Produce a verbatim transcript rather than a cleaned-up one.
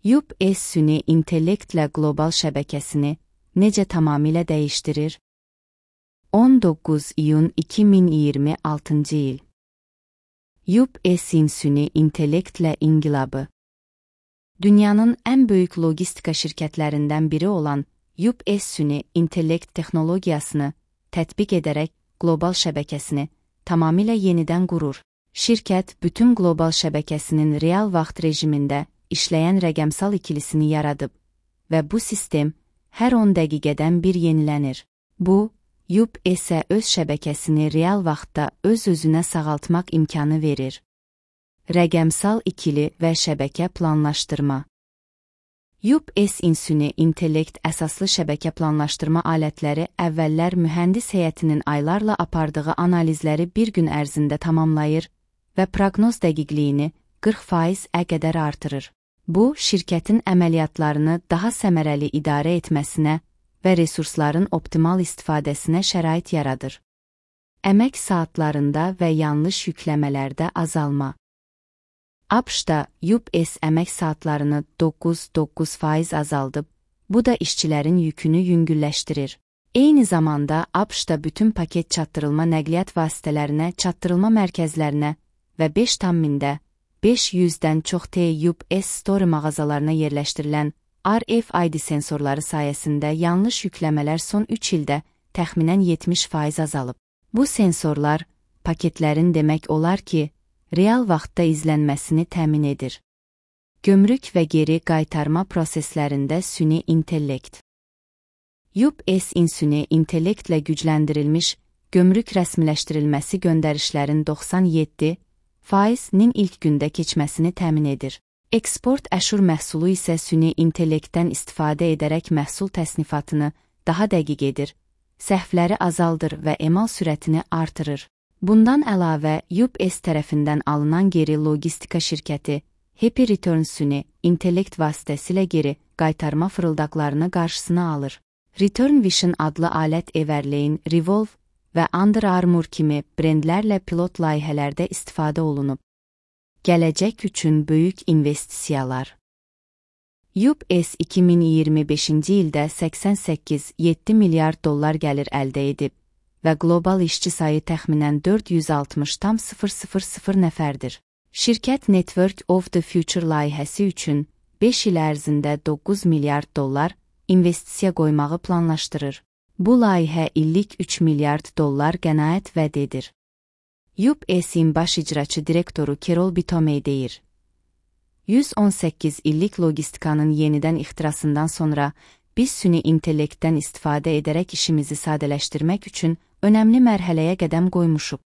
U P S süni intellektlə qlobal şəbəkəsini necə tamamilə dəyişdirir? on doqquz iyun iki min iyirmi altıncı il. U P S'in süni intellektlə inqilabı. Dünyanın ən böyük logistika şirkətlərindən biri olan U P S süni intellekt texnologiyasını tətbiq edərək qlobal şəbəkəsini tamamilə yenidən qurur. Şirkət bütün qlobal şəbəkəsinin real vaxt rejimində işləyən rəqəmsal ikilisini yaradıb və bu sistem hər on dəqiqədən bir yenilənir. Bu, U P S-ə öz şəbəkəsini real vaxtda öz-özünə sağaltmaq imkanı verir. Rəqəmsal ikili və şəbəkə planlaşdırma. U P S süni intellekt əsaslı şəbəkə planlaşdırma alətləri əvvəllər mühəndis heyətinin aylarla apardığı analizləri bir gün ərzində tamamlayır və proqnoz dəqiqliyini qırx faizə qədər artırır. Bu, şirkətin əməliyyatlarını daha səmərəli idarə etməsinə və resursların optimal istifadəsinə şərait yaradır. Əmək saatlarında və yanlış yükləmələrdə azalma. ABŞ-da U P S əmək saatlarını doqquz nöqtə doqquz faiz azaldıb, bu da işçilərin yükünü yüngülləşdirir. Eyni zamanda ABŞ-da bütün paket çatdırılma nəqliyyat vasitələrinə, çatdırılma mərkəzlərinə və beş tam mində beş yüzdən çox T U P S Store mağazalarına yerləşdirilən R F I D sensorları sayəsində yanlış yükləmələr son üç ildə təxminən yetmiş faiz azalıb. Bu sensorlar, paketlərin demək olar ki, real vaxtda izlənməsini təmin edir. Gömrük və geri qaytarma proseslərində süni intellekt. U P S-in süni intellektlə gücləndirilmiş gömrük rəsmiləşdirilməsi göndərişlərin doxsan yeddi faizinin ilk gündə keçməsini təmin edir. Eksport əşur məhsulu isə süni intellektdən istifadə edərək məhsul təsnifatını daha dəqiq edir, səhvləri azaldır və emal sürətini artırır. Bundan əlavə, U P S tərəfindən alınan geri logistika şirkəti Happy Returns süni intellekt vasitəsilə geri qaytarma fırıldaqlarını qarşısına alır. Return Vision adlı alət Everlane, Revolve və Under Armour kimi brendlərlə pilot layihələrdə istifadə olunub. Gələcək üçün böyük investisiyalar. U P S iki min iyirmi beşinci ildə səksən səkkiz nöqtə yeddi milyard dollar gəlir əldə edib və qlobal işçi sayı təxminən dörd yüz altmış min nəfərdir. Şirkət Network of the Future layihəsi üçün beş il ərzində doqquz milyard dollar investisiya qoymağı planlaşdırır. Bu layihə illik üç milyard dollar qənaət vəd edir. U P S-in baş icraçı direktoru Carol Bitomey deyir: yüz on səkkiz illik logistikanın yenidən ixtirasından sonra biz süni intellektdən istifadə edərək işimizi sadələşdirmək üçün önəmli mərhələyə qədəm qoymuşuq.